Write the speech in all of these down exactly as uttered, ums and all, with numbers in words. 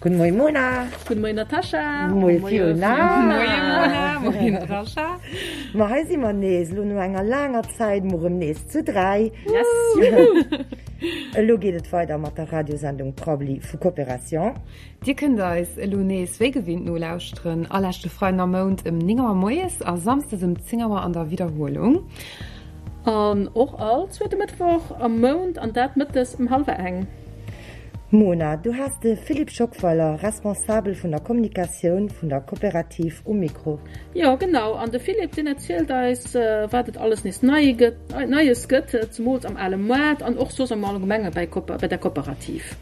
Gudde Moie Mona. Gudde Moien Natascha. Moie Fiona. Moie Mona, moie Natascha. Ma hei si mer nees, elo no enger laanger Zäit mol erëm nees zu dräi. Yes, juhu! Elo geet et weider mat der Radiosendung Prabbeli vu Coopération. Dir kënnt eis elo nees wéi gewinnt nolauschteren, all leschte Freiden am Mount ëm néng Auer moies a samsdes ëm zéng Auer an der Widderhuelung. An och all zweete Mëttwoch am Mount, an dat mëttes ëm hallwer eng. Mona, du has de Philippe Schockweiler, Responsabel vun der Kommunikatioun vun der Kooperativ um Mikro. Jo, genau. An de Philippe, deen erzielt eis, wat et alles nees nei gëtt, Neies gëtt, zemools am ale Moart an och soss am Allgemenge bei bei der Kooperativ.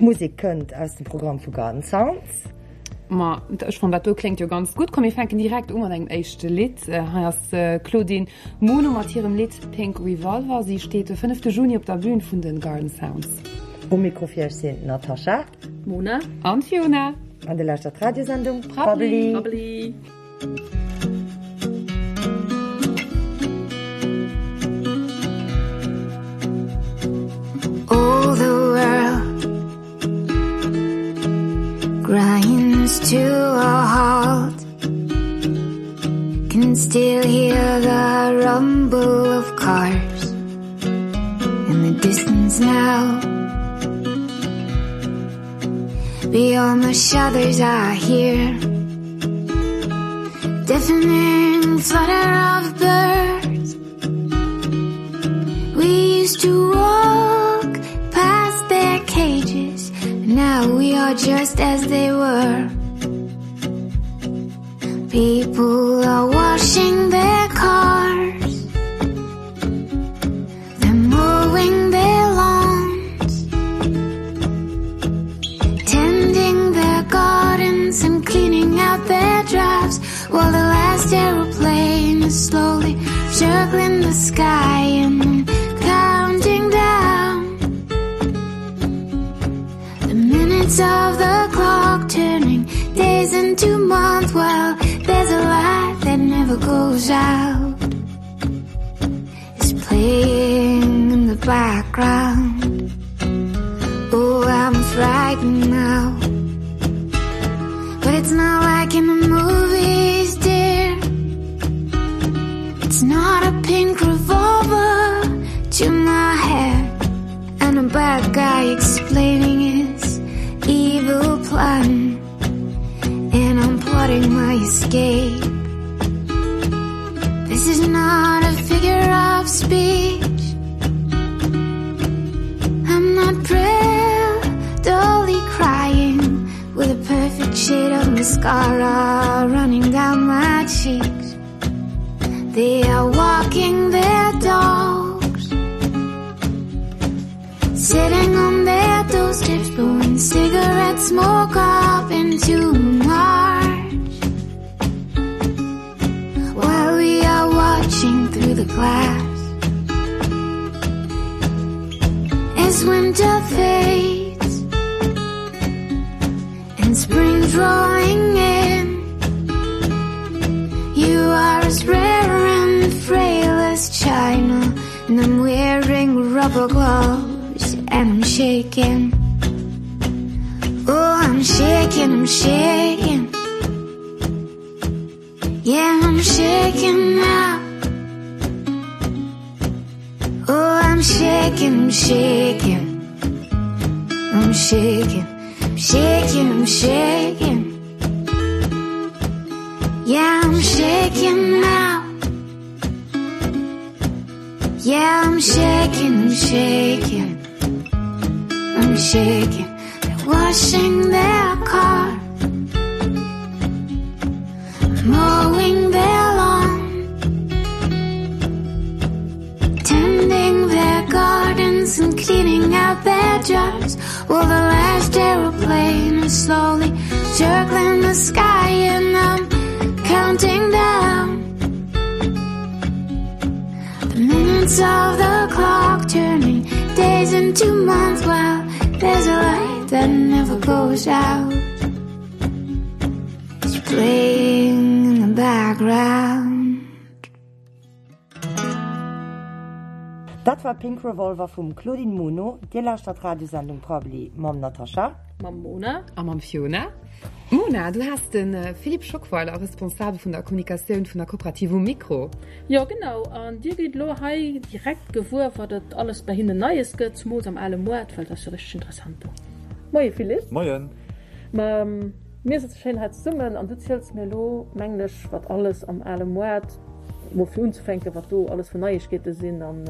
D'Musek kënnt aus dem Programm vu Garden Sounds. Ma ech fannen dat do kléngt jo ganz gutt. Komm mir fänken direkt u mat engem éischte Lidd. Hei ass d'Claudine Muno mat hirem Lidd Pink Revolver. Si steet de fënnefte Juni op der Bün vun de Garden Sounds. Um Mikro fir iech sinn d'Natasha, d'Mona an d'Fiona. An Dir lauschtert d'Radiosendung Prabbeli. Prabbeli. All the world grinds to a halt Can still hear the rumble of cars In the distance now Beyond the shutters I hear Deafening flutter of birds We used to walk past their cages Now we are just as they were People are washing their cars They're mowing their lawns Tending their gardens and cleaning out their drives While the last aeroplane is slowly circling the sky And counting down The minutes of the clock turning days into months While there's a light that never goes out It's playing in the background Oh, I'm frightened now But it's not like in the movies, dear It's not a pink revolver to my head And a bad guy explaining his evil plan And I'm plotting my escape This is not a figure of speech I'm not prettily crying With a perfect shade of mascara running down my cheeks They are walking their dogs Sitting on their doorsteps Blowing cigarette smoke up into March While we are watching through the glass As winter fades And spring's rolling in You are as rare and frail as china And I'm wearing rubber gloves and I'm shaking Oh, I'm shaking, I'm shaking Yeah, I'm shaking now Oh, I'm shaking, I'm shaking I'm shaking, I'm shaking, I'm shaking Yeah, I'm shaking now Yeah, I'm shaking, I'm shaking I'm shaking They're washing their car Mowing their lawn Tending their gardens and cleaning out their jars While the last aeroplane is slowly circling the sky And I'm counting down The minutes of the clock turning days into months While there's a light that never goes out It's playing in the background. Dat war Pink Revolver vum Claudine Muno. Dir lauschtert d'Radiosendung Prabbeli mam Natascha. Mam Mona. A mam Fiona. Mona, du has de Philippe Schockweiler, Responsabel vun der Kommunikatioun vun der Kooperativ um Mikro. Jo genau, an dir gitt elo hei direkt gewuer wat et alles bei hinnen Neies gëtt, zemools am ale Moart, well dat ass jo richteg interessant do. Moie Philippe. Moien. Ma mir sëtze schéin hei zesummen an du ziels mir elo, mengen ech, wat alles am ale Moart, mol fir unzefänken, wat do alles fir Neiegkeete sinn an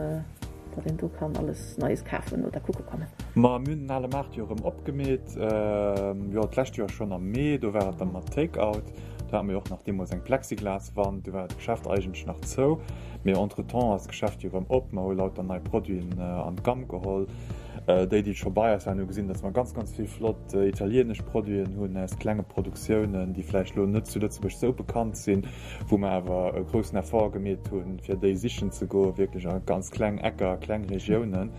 wat een do kann alles Neies kafen oder kucke kommen. Ma mir hunn den ale Maart jo erëm opgemeet, jo d'lescht Joer schonn am Mee, do war et da mat Take-out. Do hate mir jo och nach deemools eng Plexiglaswand, do war d'Geschäft eigentlech nach zou. Mee entretemps ass d'Geschäft jo erëm op, mer hu lauter nei Produiten an d'Gamm geholl. Déi, déi scho bei eis waren, hu gesinn, dass mer ganz, ganz vill flott italienesch Produiten hunn aus klenge Produktiounen, déi vläicht elo net zu Lëtzebuerg esou bekannt sinn, wou mer awer e groussen Effort gemeet hunn, fir déi sichen ze goen, wierklech a ganz kleng Ecker, kleng Regiounen.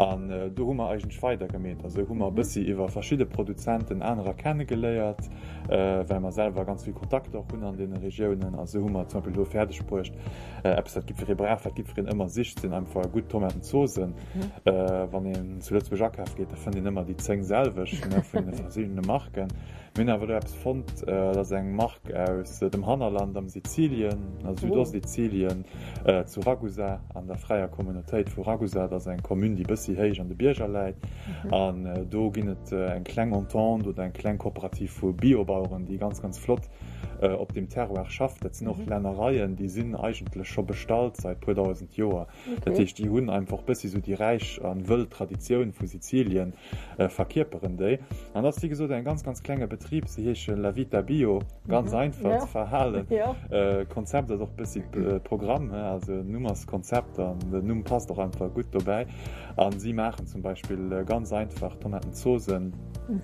An do hu mer eigentlech weidergemeet. Also hu mer e bëssi iwwer verschidde Produzenten anerer kennegeléiert, well mer selwer ganz vill Kontakter och hunn an deene Regiounen. A sou hu mer zum Beispill elo fäerdegbruecht, Eppes wat jiddweree brauch, wat jiddwereen ëmmer sicht, sinn einfach gutt Tomatenzosen. Wann een zu Lëtzebuerg akafe geet, da fënnt een ëmmer déi zéng selwecht vun de verschiddene Marken. Mir hunn awer do eppes fonnt, dat ass eng Mark aus dem Hannerland am Sizilien, a Südostsizilien, zu Ragusa, an der fräier Communautéit vu Ragusa. Dat ass eng Commune, déi e bëssi héich an de Bierger läit. An do ginn et eng kleng Entente oder eng kleng Kooperativ vu Biobaueren, déi ganz, ganz flott op deem Terroir schafft. Dat sinn och Lännereien, déi sinn eigentlech scho bestallt seit puer dausend Joer. Dat heescht, déi hunn einfach bëssi sou déi räich a wëll Traditioun vu Sizilien, verkierperen déi. An dat ass wéi gesot en ganz, ganz klenge Betrib. Si heesche La Vita Bio, ganz einfach ze verhalen. Konzept ass och bëssi Programm, also Numm ass Konzept an den Numm passt och einfach gutt dobäi. A si maachen zum Beispill ganz einfach Tomatenzosen,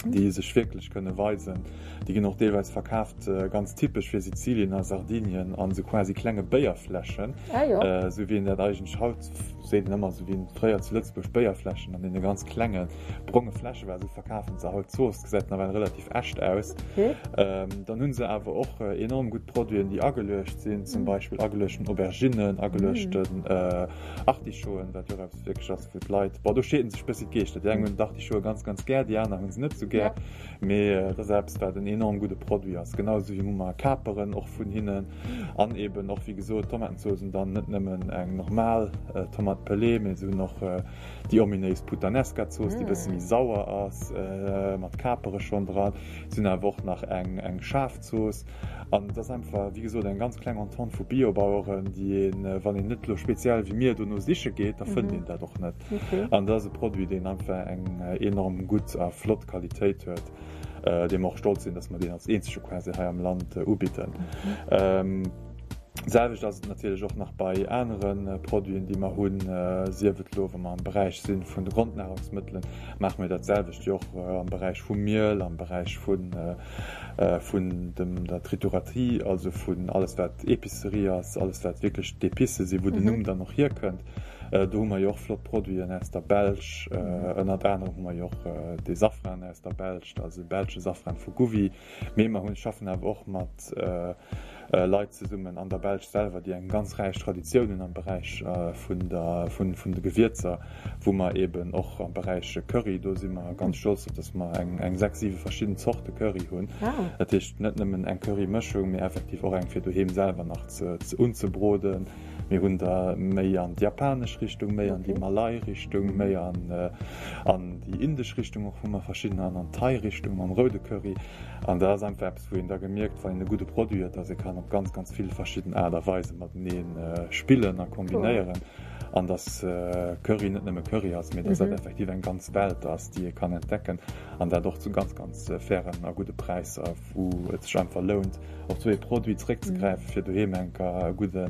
déi sech wierklech kënne weisen. Déi ginn och deelweis verkaaft, ganz typesch fir Sizilien a Sardinien, an esou quasi klenge Béierfläschen, esou wéi een dat eigentlech haut seet een ëmmer, esou wéi fréier zu Lëtzebuerg Béierfläschen an deene ganz klenge bronge Fläsche war, esou verkafen se haut d'Zooss. Gesäit nawell relativ echt aus. Dann hu se awer och enorm gutt Produiten, déi ageluecht sinn, zum Beispill ageluechten Auberginnen, ageluechten Artichauten, wat jo och eppes wierklech ass, wou d'Leit, bon, do scheeden sech bëssi d'Geeschter, déi eng hunn d'Artichaute ganz, ganz gär, déi aner hu se net esou gär. Mee et ass eppes, wat en enorm gudde Produit ass, genau esou wéi hu mer Kaperen och vun hinnen an eben och, wéi gesot, Tomatenzooss und dann net nëmmen eng normal Tomate pelée, mee se hunn och déi ominéis Puttanesca-Zooss, déi e bësse méi sauer ass, mat Kapere schonn dran. Se hunn awer och nach eng eng schaarf Zooss an et ass einfach, wéi gesot, eng ganz kleng Entente vu Biobaueren, déi een, wann een net elo speziell wéi mir dono siche geet, da fënnt een dat och net. An dat ass e Produit, deen einfach eng enorm gutt a flott Qualitéit huet, dee mer och stolz sinn, dass mer deen als eenzege quasi hei am Land ubidden. D'selwecht ass et natierlech och nach bei anere Produiten, déi mer hunn, sief et elo, wa mer am Beräich si vun de Grondnahrungsmëttelen, maache mir dat selwecht jo och am Beräich vum Miel, am Beräich vun vun dem der Trituratie, also vun alles wat Épicerie ass, alles wat wierklech d'Épicë sinn, wou den Numm dann och hierkënnt. Do hu mer jo och flott Produiten aus der Belsch, ënnert anerem hu mer jo och de Safran aus der Belsch, also de belsche Safran vu Gouvy. Mee mer hunn, schaffen awer och mat Leit zesummen an der Belsch selwer, déi eng ganz räich Traditioun hunn am Beräich vun der, vun, vun de Gewierzer, wou mer eeben och am Beräich Curry, do si mer ganz stolz drop, dass mer eng, eng sechs, siwe verschidden Zorte Curry hunn. Dat heescht net nëmmen eng Currymëschung, mee effektiv och eng fir doheem selwer nach ze, ze unzebroden. Mir hunn der méi an d'japanesch Richtung, méi an déi Malay-Richtung, méi an, an déi indesch Richtung och hu mer verschiddener an an d'Thai-Richtung mam roude Curry. An dat ass einfach eppes, wou een da gemierkt, wann een e gudde Produit huet, dass ee kann op ganz, ganz vill verschidden Aart a Weise matenee spillen a kombinéieren. An dass Curry net nëmme Curry ass, mee dass dat effektiv eng ganz Welt ass, déi ee kann entdecken an dat och zu ganz, ganz fairen a gudde Präisser, wou et sech einfach lount, op sou ee Produit zeréckzegräifen, fir doheem enker e gudde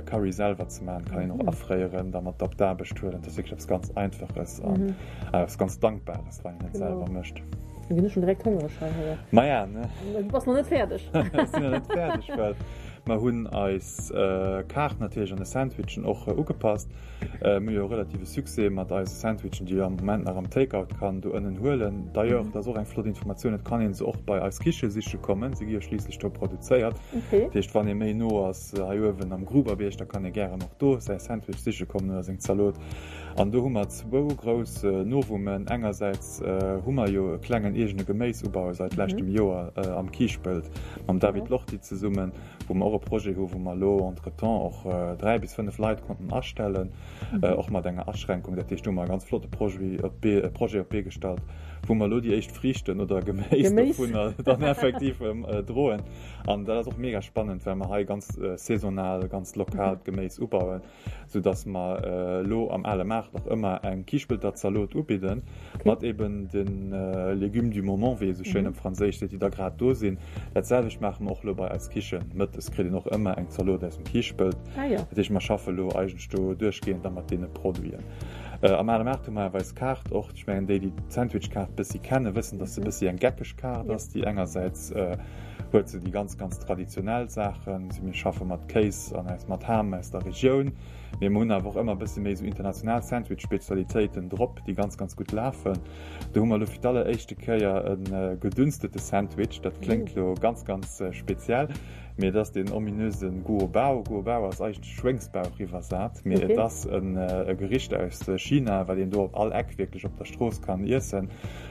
Curry selwer ze maachen. Kann een och afréieren, da mat op d'Aarbecht huelen. Dat ass wierklech eppes ganz Einfaches an eppes ganz Dankbares, wann een et selwer mécht. Lo ginn ech schon direkt hongereg hei. Maja, ne? Du bass nach net fäerdeg. Ech sinn nach net fäerdeg, well Mer hunn eis Kaart natierlech an de Sandwichen och ugepasst. Mir hu jo relative Succès mat eise Sandwichen, déi ee am Moment nach am Take-out kann do ënnen huelen. D'ailleurs, dat ass och eng flott Informatioun, et kann ee se och bei eis Kiche siche kommen, se gi jo schliisslech do produzéiert. Dat heescht, wann ee méi no ass hei uewen am Gruberbiérg, da kann ee gären och do säi Sandwich siche kommen oder seng Zalot. An do hu mer zwou grouss Novummen. Engersäits hu mer jo e klengen eegene Geméisubau seit leschtem Joer am Kiischpelt mam David Lorty zesummen, wou mer och e Projet hu wou mer elo entretemps och dräi bis fënnef Leit konnten astellen, och mat enger Aschränkung. Dat heescht, do hu mer e ganz flotte Projet op d'Bee, Projet op d'Bee gestallt, wou mer elo déi éischt Friichten oder Geméis dovunner dann effektiv droen. An dat ass och mega spannend, well mer hei ganz saisonal, ganz lokal d'Geméis ubauen. sou dass mer elo am ale Maart och ëmmer eng Kiischpelter Zalot ubidden, mat eben de Légumes du moment, wéi ee sou schéin op Franséisch seet, déi da grad do sinn. Dat selwecht maache mer och elo bei eis Kichen. Mëttes kritt een och ëmmer eng Zalot aus dem Kiischpelt. Dat heescht, mer schaffe elo eigentlech do duerchgehend da mat deene Produiten. Am ale Maart hu mer awer eis Kaart och. Ech mengen, déi, déi d'Sandwich-Kaart bëssi kennen, wëssen, dass se bëssi eng geckeg Kaart ass, déi engersäits huet se déi ganz, ganz traditionell Saachen, si mir schaffe mat Kéis an aus mat Ham aus der Regioun, mee mer hunn awer och ëmmer e bësse méi esou international Sandwich-Spezialitéiten drop, déi ganz, ganz gutt lafen. Do hu mer elo fir d'alleréischte Kéier e gedünstete Sandwich, dat kléngt elo ganz, ganz speziell, mee et ass deen ominöse Guo Bao. Guo Bao ass eigentlech Schwéngsbauch iwwersat, mee et ass e Gericht aus China, wat een do op all Eck wierklech op der Strooss kann iessen.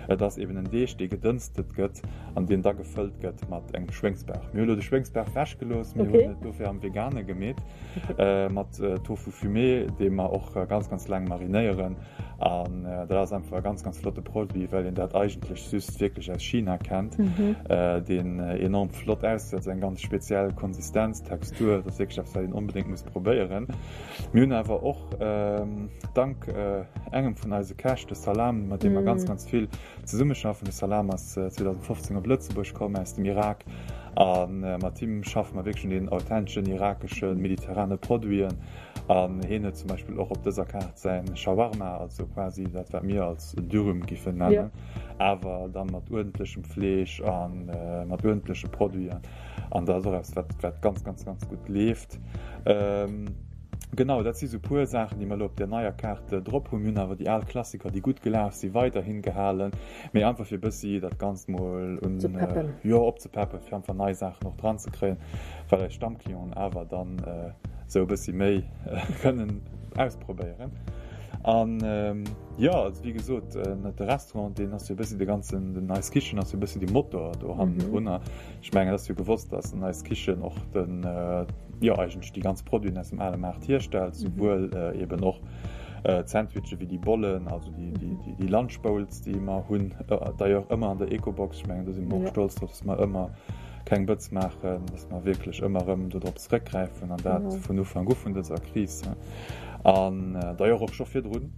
Et ass eben en Deeg, dee gedënstet gëtt an deen da gefëllt gëtt mat engem Schwéngsbauch. Mir hu lo de Schwéngsbauch wechgelooss, mir hunn et dofir am Vegane gemeet, mat Tofu fumé, dee mer och ganz, ganz laang marinéieren. An dat ass einfach e ganz, ganz flotte Produit, well een dat eigentlech just wierklech aus China kennt, deen enorm flott ausgesäit, eng ganz speziell Konsistenz, Textur. Dat ass wierklech eppes, wat een onbedéngt muss probéieren. Mir hunn awer och dank engem vun eise Käch, de Salam, mat deem mer ganz, ganz vill zesummeschaffen. De Salam ass zweedausendfofzéng op Lëtzebuerg komm aus dem Irak a mat him schaffe mer wierklech un deenen authenteschen irakeschen, mediterrane Produiten. An hien huet zum Beispill och op dëser Kaart säin Shawarma, also quasi dat wat mir als Dürüm giffen nennen, awer dann mat uerdentlechem Fleesch a mat uerdentleche Produiten. An dat ass och eppes wat wat ganz ganz ganz gutt leeft. Genau, dat si sou puer Saachen, déi mer elo op där neier Kaart drop hunn. Mir hunn awer déi al Klassiker, déi gutt gelaf sinn, weiderhin gehalen, mee einfach fir e bëssi dat Ganzt mol un, jo, opzepeppen, fir einfach nei Saachen och dran ze kréien, well eis Stammclienten awer dann esou e bëssi méi kënnen ausprobéieren. An jo, also wéi gesot, de Restaurant, deen ass jo e bëssi de ganzen, den Eis Kichen ass jo e bëssi de Motor do hannendrunner. Ech mengen, et ass jo gewosst, dass an Eis Kichen och den, jo eigentlech déi ganz Produiten aus dem ale Maart hierstellt, souwuel eben och d'Sandwichen wéi déi Bollen, also déi, déi, déi, déi Lunch Bowls, déi mer hunn, d'ailleurs ëmmer an der Ecobox. Ech mengen, do si mer och stolz drop, dass mer ëmmer keng Bëtz maachen, dass mer wierklech ëmmer erëm dodrop zeréckgräifen an dat vun Ufank u vun dëser Kris an d'ailleurs och scho virdrun.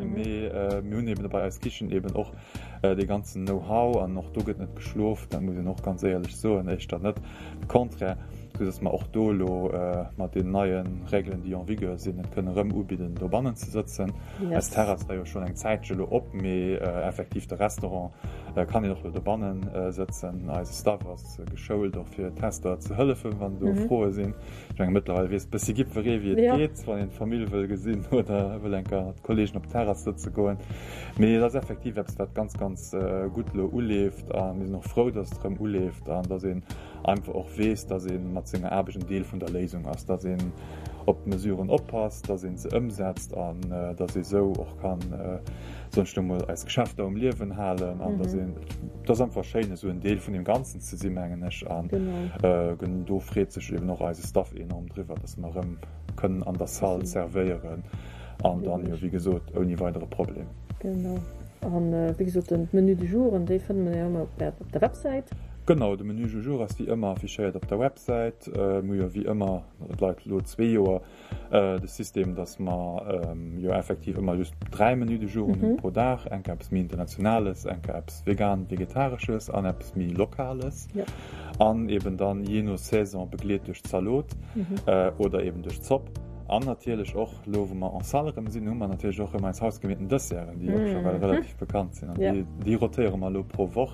Mee mir hunn eben bei Eis Kichen eben och dee ganzen Know-how an och do gëtt net geschlof, dat muss een och ganz éierlech soen, éischter net, de Contraire, soudass mer och do elo mat deenen neie Règelen, déi en vigueur sinn, et kënnen erëm ubidden, dobannen ze sëtzen. Eis Terrass war jo schonn eng Zäitche elo op, mee effektiv de Restaurant kann een och elo dobanne sëtzen. Eise Staff ass geschoult och fir Tester ze hëllefen, wann do Froe sinn. Ech menge mëttlerweil weess bëssi jiddweree wéi et geet, wann een d'Famill wëll gesinn oder wëll eng Kéier mat Kolleegen op d'Terrass sëtze goen. Mee et ass effektiv eppes, wat ganz, ganz gutt elo uleeft a mir sinn och frou, datt et erëm uleeft an datt een einfach och weess, datt ee mat senger Aarbecht en Deel vun der Léisung ass, datt een op d'Mesuren oppasst, datt ee se ëmsetzt an datt ee sou och kann, soen ech elo mol, eis Geschäfter um Liewen halen an datt een, et ass einfach schéin esou en Deel vun deem Ganzen ze sinn, mengen ech. An do freet sech eben och eise Staff enorm driwwer, datt mer erëm kënnen an der Salle zerwéieren an dann jo wéi gesot ouni weidere Problem. Genau. An wéi gesot, den Menu du jour, déi fënnt mer jo ëmmer op der Websäit. Genau, de Menu du jour ass wéi ëmmer affichéiert op der Websäit. Mir hu jo wéi ëmmer, et leit elo zwee Joer, de System, dass mer jo effektiv ëmmer just dräi Menus du jour hunn pro Dag, eng Kéier eppes méi Internationales, eng Kéier eppes vegan-vegetaresches an eppes méi Lokales. An eben dann jee no Saison begleet duerch Zalot oder eben duerch Zopp. An natierlech och, elo wou mer en salle erëm sinn, hu mer natierlech och erëm eis hausgemeeten Desserten, déi och scho well relativ bekannt sinn. An déi, déi rotéiere mer elo pro Woch.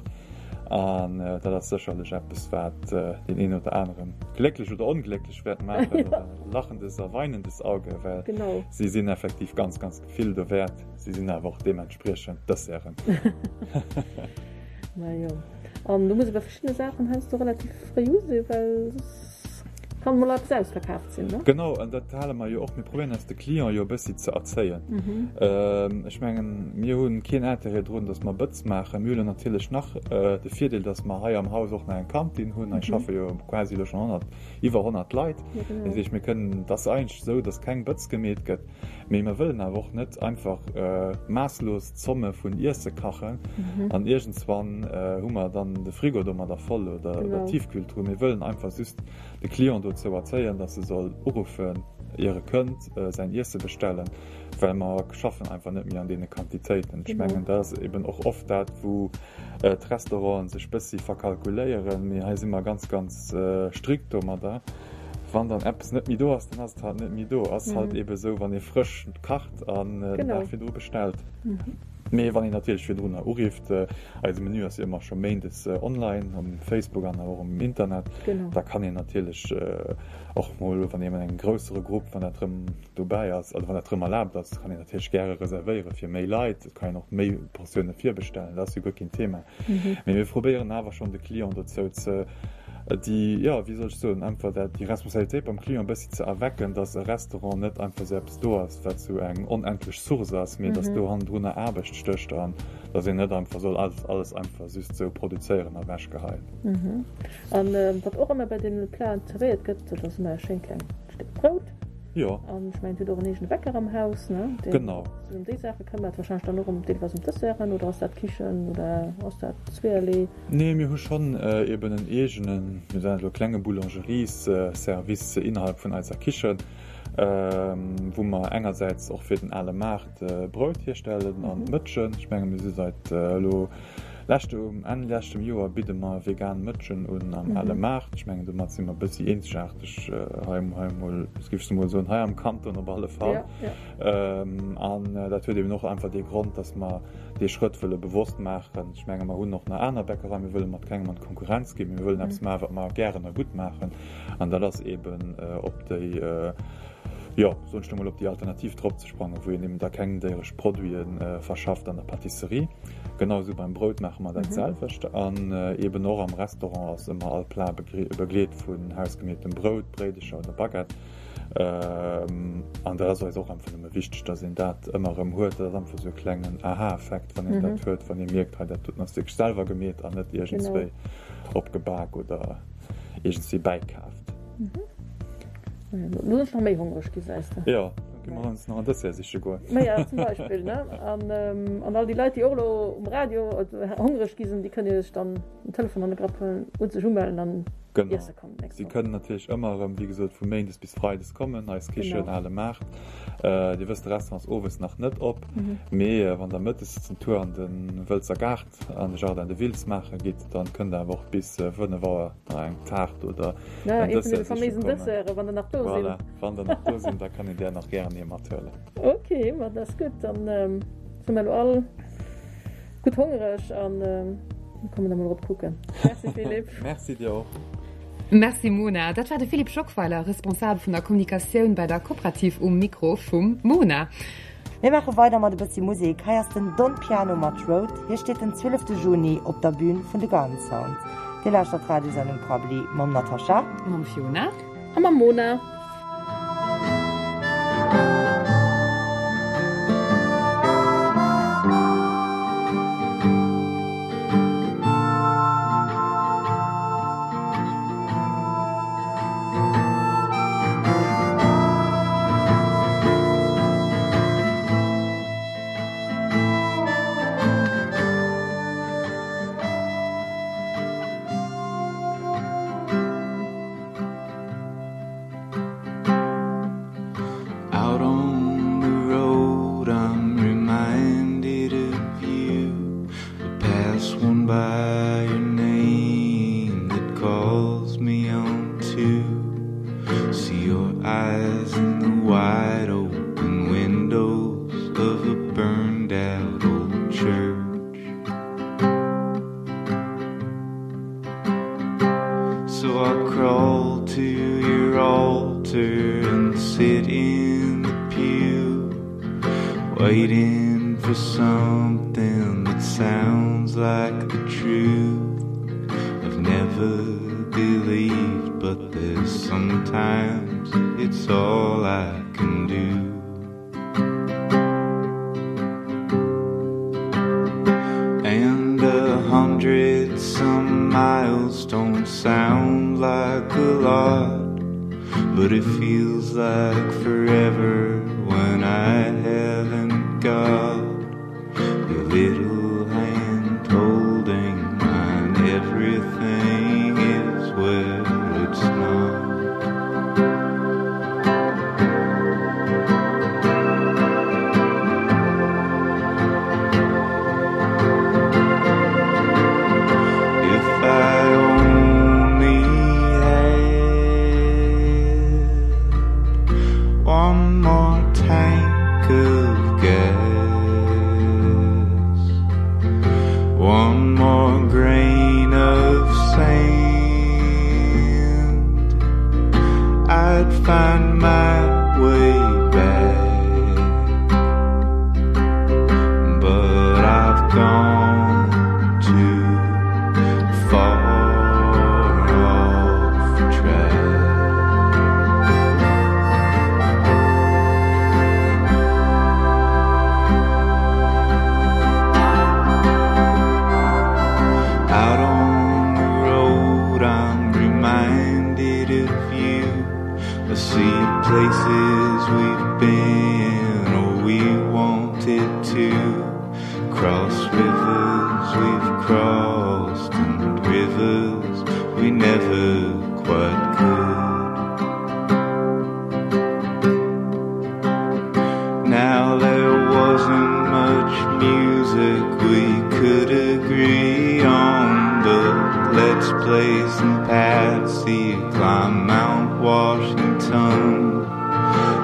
An dat ass sécherlech eppes, wat deen een oder anere glécklech oder onglécklech wäert maachen, oder lachendes a weinendes Auge, well si sinn effektiv ganz, ganz vill dowäert. Si sinn awer och deementspriechend Desserten. Majo, an do muss ee bei verschiddene Saachen heiansdo relativ fréi u sinn, well soss kann mol eppes ausverkaaft sinn, ne? Genau, an dat hale mer jo och. Mir probéieren eis de Client jo e bëssi ze erzéien. Ech mengen, mir hu keen Intérêt drun, datt mer Bëtz maachen. Mir hunn natierlech nach de Virdeel, datt mer hei am Haus och nach eng Kantin hunn. Hei schaffe jo quasi elo schonn honnert, iwwer honnert Leit. Dat heescht, mir kënnen, et ass eigentlech esou, datt keng Bëtz gemeet gëtt. Mee mer wëllen awer och net einfach maasslos Zomme vun Iesse kachen an iergendswann hu mer dann de Frigo domadder voll oder d'Tiefkühltruh. Mir wëllen einfach just de Client dozou erzéien, dass e soll uruffen, ier e kënnt, säin Iesse bestellen, well mer schaffen einfach net méi an deene Quantitéiten. Ech mengen, dat ass eben och oft dat, wou d'Restauranten sech bëssi verkalkuléieren. Mee hei si mer ganz, ganz strikt domadder. Wann dann eppes net méi do ass, dann ass et halt net méi do. Ass halt eben esou, wann ee frësch kacht an den Dag virdru bestellt. Mee wann een natierlech virdrunner urifft, eise Menü ass jo ëmmer scho méindes online um Facebook an och um Internet, da kann een natierlech och mol, wann een an engem groussere Grupp, wann dat rëm dobäi ass, also wann dat rëm erlaabt ass, kann een natierlech gäre reservéiere fir méi Leit. Et kann een och méi Portioune virbestellen, dat ass jo guer keen Thema. Mee mir probéieren awer schonn de Client dozou ze déi, jo, wéi soll ech soen, einfach dat, déi Responsabilitéit beim Client e bëssi ze erwecken, dass e Restaurant net einfach esou eppes do ass, wat esou eng onendlech Source ass, mee dass do hannendrunner Aarbecht stécht an dass een net einfach soll alles, alles einfach just esou produzéieren a ewechgeheien. An wat och ëmmer bei deene Platen zerwéiert gëtt, dat ass ëmmer e schéint klengt Stéck Brout. Jo. An ech mengen, Dir hutt och en eegene Bäcker am Haus, ne? Deen Genau. sech ëm déi Saache këmmert, warscheinlech dann och ëm deelweis ëm d'Desserten, oder ass dat d'Kichen oder ass dat zweeërlee? Nee, mir hu schonn eben en eegenen, mir soen dat elo, klenge Boulangeries-Service innerhalb vun eiser Kichen, wou mer engersäits och fir den ale Maart Brout hierstellen an Mëtschen. Ech menge mir si seit elo leschte, um Enn leschtem Joer bidde mer vegan Mëtschen un am ale Maart. Ech mengen domat si mer e bëssi eenzegaarteg hei, hei emol, géif ech emol soen, hei am Kanton op alle Fall. An dat huet eben och einfach dee Grond, dass mer dee Schrëtt wëlle bewosst maachen. Ech menge mer hunn och nach aner Bäckereien, mir wëlle mat kengem an d'Konkurrenz ginn, mee mir wëllen eppes maachen, wat mer gären a gutt maachen. An dat ass eben op déi, jo, soen ech lo mol, op déi Alternativ drop ze sprangen, wou een eben da keng déieresch Produite verschafft an der Pâtisserie. Genau esou beim Brout maache mer dat selwecht. An eben och am Restaurant ass ëmmer all Plat begleet vun hausgemeetem Brout, Bréidecher oder Baguette. An dat ass eis och einfach nëmme wichteg, dass een dat ëmmer erëm huet. Dat ass einfach esou e klengen Aha-Effekt, wann een dat huet, wann ee mierkt, hei dat doten ass wierklech selwer gemeet an net iergendswéi opgebak oder iergendswéi bäikaaft. Lo sinn ech nach méi hongreg gi, seis de. Jo, da gi mer ons nach en Dessert siche goen. Ma ja, zum Beispill, ne? An, an all déi Leit, déi och elo um Radio hongreg gi sinn, déi kënne jo sech dann den Telefon an de Grapp huelen und sech umellen an Genau. iesse kommen nächst Si Woch. kënnen natierlech ëmmer erëm, wéi gesot, vu méindes bis freides kommen, eis Kichen, Genau. Ale Maart. Dir wësst, de Restaurant ass owes nach net op, mee wann der mëttes den Tour an de Wëlzer Gaart, an de Jardin de Wiltz maache gitt, dann kënnt der awer och bis fënnef Auer nach eng Taart oder Ja, en ee vun Dessert deene siche faméisen kommen. Desserten, wann der nach do sinn. Voilà, wann der nach do sinn, da kann een där nach gären ee mathuelen. Ok, ma dat ass gutt. Dann si mer elo all gutt hongereg an mir kommen da mol erop kucken. Merci Philippe. Merci dir och. Merci Mona. Dat war de Philippe Schockweiler, Responsabel vun der Kommunikatioun bei der Cooperative um Mikro vum Mona. Mir maache weider mat e bëssi Musek. Hei ass den Don Piano mat Road. Hie steet den zwielefte Juni op der Bün vun de Garden Sounds. Dir lauschtert d'Radiosendung Prabbeli mam Natascha. Mam Fiona. A mam Mona. So I crawl to your altar and sit in the pew, waiting for something that sounds like the truth. I've never believed, but there's sometimes it's all I can do. And a hundred some miles don't sound like a lot, but it feels like forever when I haven't got your little hand holding mine. Everything is where it's not. If I only had one more tank of gas, one more grain of sand, I'd find my way back. But I've gone too far off track. Out on the road, I'm reminded of you. I see places we've been or we wanted to. Cross rivers we've crossed and rivers we never quite could. Now there wasn't much music we could agree on, but let's play some Patsy, climb Mount Washington,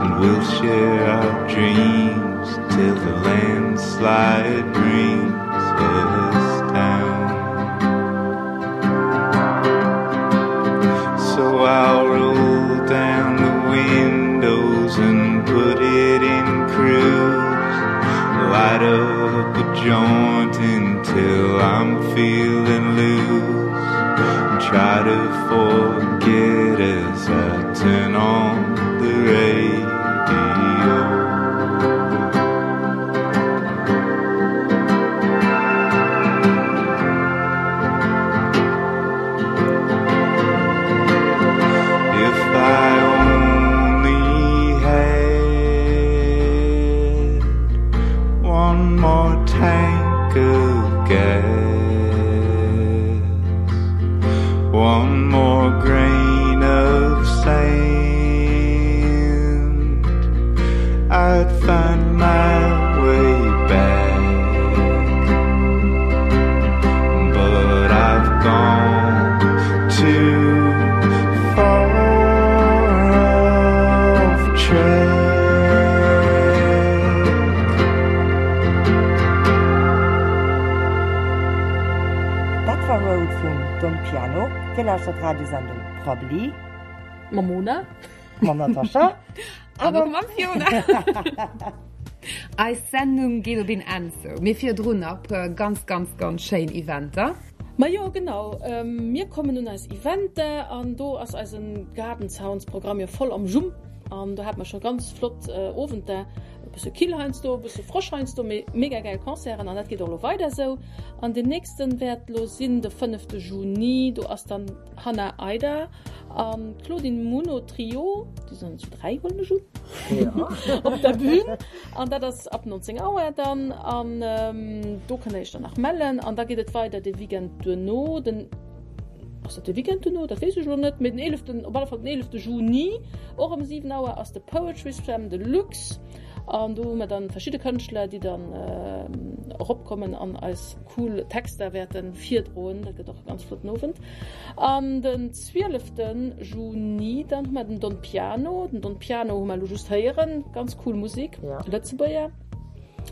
and we'll share our dreams till the landslide brings us down. So I'll roll down the windows and put it in cruise, light up a joint until I'm feeling loose, and try to forget as I turn on the radio. If I only had one more tank of gas, one more grain of sand, I'd find my way back. But I've gone too far off track. Dat war Road vum Don Piano. Dir lauschtert d'Radiosendung Prabbeli Mam Mona. mam Natascha An och mam Fiona. Eis Sendung geet op een Enn zou, mee virdrun nach e puer ganz, ganz, ganz schéin Eventer. Majo genau, mir kommen un eis Eventer an do ass eisen Garden Sounds Programm jo voll am Jump an do hat mer scho ganz flott Owenter, e bësse kill heiansdo, e bësse frësch heiansdo, mee mega gäil Concerten an dat geet och elo weider esou. An deen nächsten wäert elo sinn de fënnefte Juni, do ass dann Hannah Aida an Claudine Muno Trio, déi sinn zu dräi huelen ech un, op der Bühn an dat ass ab neunzéng Auer dann an do kënnt der iech dann nach mellen an da geet et weider de Weekend duerno, den, ass dat de Weekend duerno, dat weess ech elo net, mee den eeleften, op alle Fall den eelefte Juni och ëm siwen Auer ass de Poetry Slam Deluxe an do hu mer dann verschidde Kënschtler, déi dann eropkommen an eis cool Texter wäerte virdroen. Dat gëtt och e ganz flotten Owend. An den zwielefte Juni dann hu mer den Don Piano. Den Don Piano hu mer elo just héieren, ganz cool Musek, Lëtzebuerger.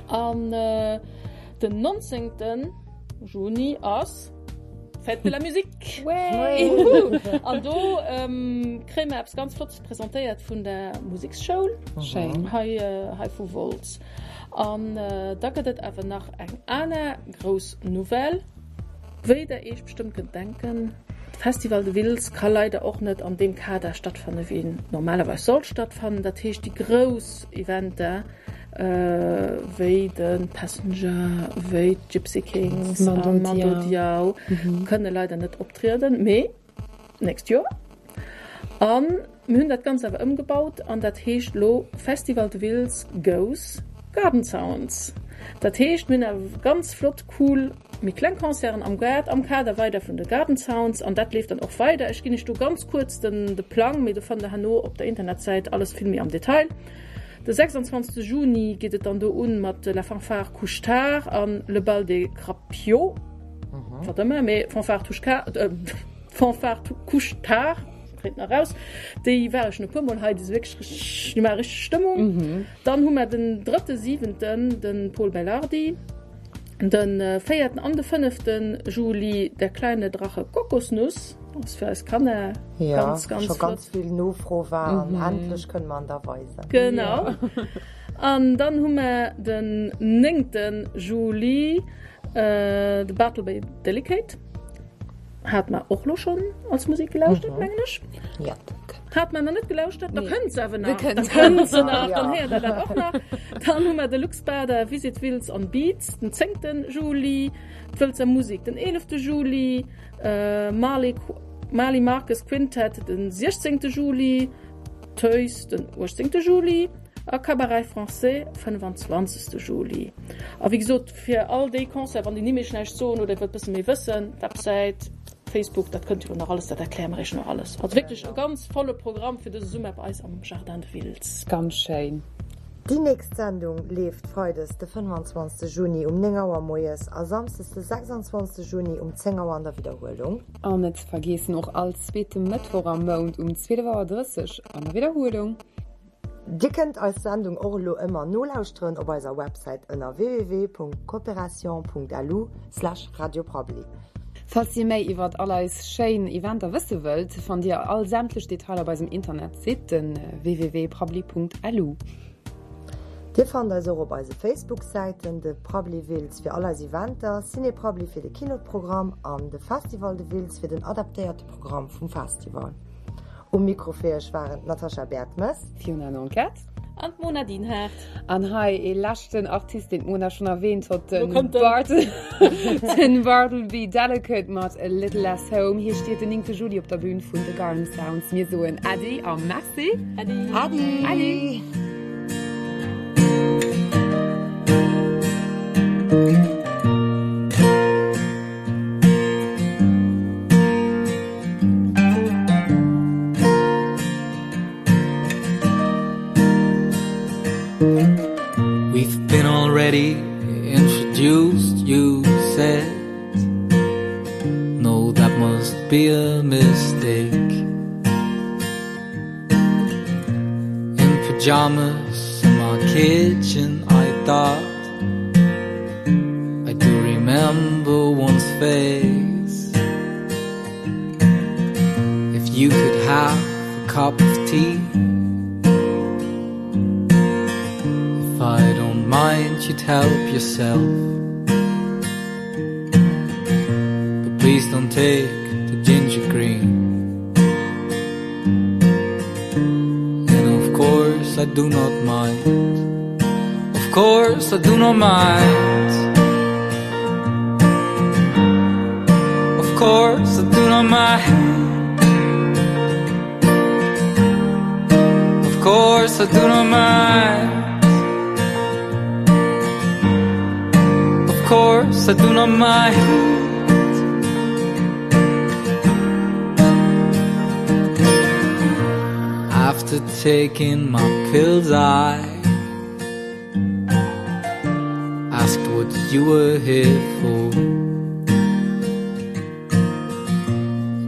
An den nonzéngte Juni ass Fête de la Musique! Way! An do kréie mer eppes ganz Flottes presentéiert vun der Museksschoul. Schéin. Hei, hei vu Wolz. An da gëtt et awer nach eng aner grouss Nouvelle. Wéi der Iech bestëmmt kënnt denken, de Festival de Wiltz ka leider och net an deem Kader stattfanne wéi en normalerweis sollt stattfannen. Dat heescht déi grouss Eventer wéi de Passenger, wéi d'Gypsy Kings a Mando Diao kënne leider net optrieden, mee d'nächst Joer. A mir hunn dat Ganzt awer ëmgebaut an dat heescht elo Festival de Wiltz goes Garden Sounds. Dat heescht, mir hunn awer ganz flott, cool, méi kleng Concerten am Gaart, am Kader weider vun de Garden Sounds an dat leeft dann och weider. Ech ginn iech do ganz kuerz den de Plang, mee do fannt der herno op der Internetsäit alles vill méi am Detail. De sechsundzwanzegste Juni geet et dann do un mat La Fanfare Couche-Tard an Le Bal des Crapiots, wat ëmmer, mee Fanfare Touche-Tard, Fanfare Couche-Tard, kréint nach raus. Déi ware schon e puer Mol hei, déi si wierklech richteg, déi maache richteg Stëmmung. Dann hu mer den drëtte siwenten de Pol Belardi, de véierten an de fënnefte Juli Der kleine Drache Kokosnuss, ass fir eis Kanner ganz, ganz scho flott. Ganz vill Nofro war an endlech kënne mer en da weisen. Genau. An dann hu mer den néngte Juli de Bartleby Delicate. Hat mer och lo schonn als Musek gelauschtert, mengen ech. Ja. Hat mer nach net gelauschtert, da Nee. kënnt se awer Da nach. kënnt Da se. kënnt se nach, Ja. dann héiert der dat och nach. Dann hu mer de Lux Bader Visit Wiltz on Beats den zéngte Juli, d'Wëlzer Musek den eelefte Juli, Marley, Marley Marcus Quintet den siechzéngte Juli, Toys den uechtzéngte Juli a Cabaret Français fënnefanzwanzegste Juli. A wéi gesot, fir all déi Concerte, wann déi Nimm iech näischt soen oder dir wëllt bësse méi wëssen, Websäit, Facebook, dat kënnt dir nach alles, dat erkläre mer iech nach alles. Also wierklech e ganz volle Programm fir dëse Summer bei eis am Jardin de Wiltz. Ganz schéin. Déi nächst Sendung leeft freides de fënnefanzwanzegste Juni um néng Auer moies a samsdes de sechsundzwanzegste Juni um zéng Auer an der Widderhuelung. An net ze vergeessen och all zweete Mëttwoch am Mount um zwielef Auer drësseg an der Widderhuelung. Dir kënnt eis Sendung och elo ëmmer nolauschteren op eiser Websäit ënner www.cooperation.lu/radioprabbeli. Falls dir méi iwwert all eis schéin Eventer wësse wëllt, fannt dir all sämtlech Detailer op eisem Internetsite, den www.prabbeli.lu. Dir fannt eis och op eise Facebook-Säiten, de Prabbeli Wiltz fir all eis Eventer, Ciné Prabbeli fir de Kinoprogramm an de Festival de Wiltz fir den adaptéierte Programm vum Festival. Um Mikro fir iech waren d'Natascha Bertmes, Fiona Nanquette An d'Mona Dinhart. An hei ee leschten Artist, deen d'Mona schonn erwähnt huet, Lo den kommt en. Bart den Bartleby Delicate mat A Little Less Home. Hie steet den néngte Juli op der Bühn vun de Garden Sounds. Mir soen Äddi a Merci. Äddi. Äddi. Äddi. We've been already introduced, you said. No, that must be a mistake. In pajamas in my kitchen, I thought I do remember one's face. If you could have a cup of tea. If I don't mind, you'd help yourself. But please don't take the ginger green. And of course, I do not mind. Of course, I do not mind. Of course, I do not mind. Of course, I do not mind. Of course, I do not mind. After taking my pills, I asked what you were here for.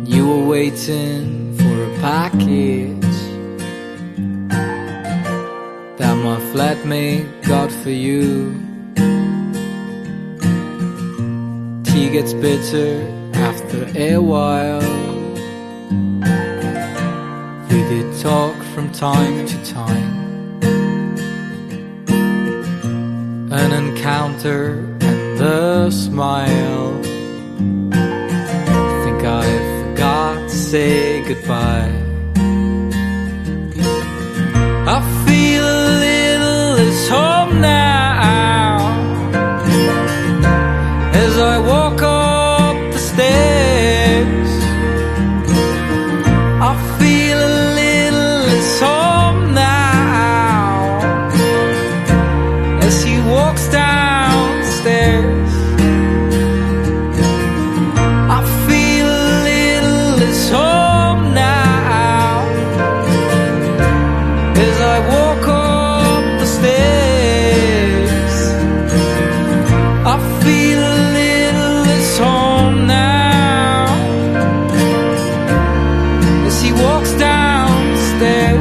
You were waiting for a package that my flatmate got for you. Tea gets bitter After a while We did talk from time to time An encounter and a smile Think I forgot to say goodbye I feel a little less home now As I walk up the stairs I feel a little less home now As he walks downstairs I feel a little less home now As I walk up the stairs I feel a little less home now As he walks downstairs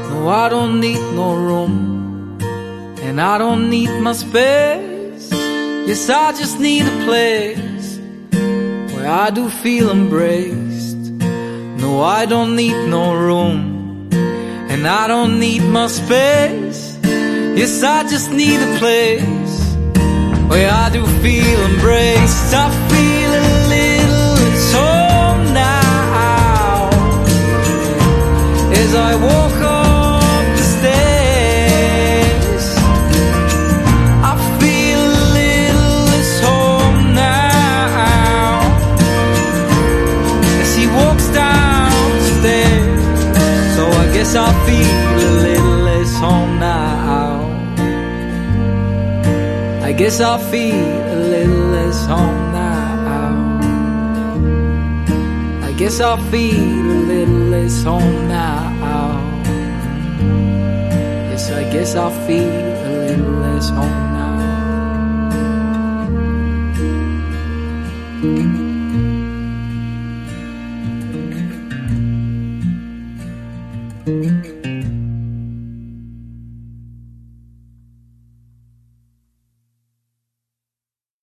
No, I don't need no room And I don't need my space Yes, I just need a place Where I do feel embraced No, I don't need no room And I don't need my space Yes, I just need a place Where I do feel embraced I feel a little at home now As I walk up the stairs I feel a little less home now As he walks downstairs So I guess I feel a little less home now I guess I feel a little less home now I guess I feel a little less home now Yes, I guess I feel a little less home now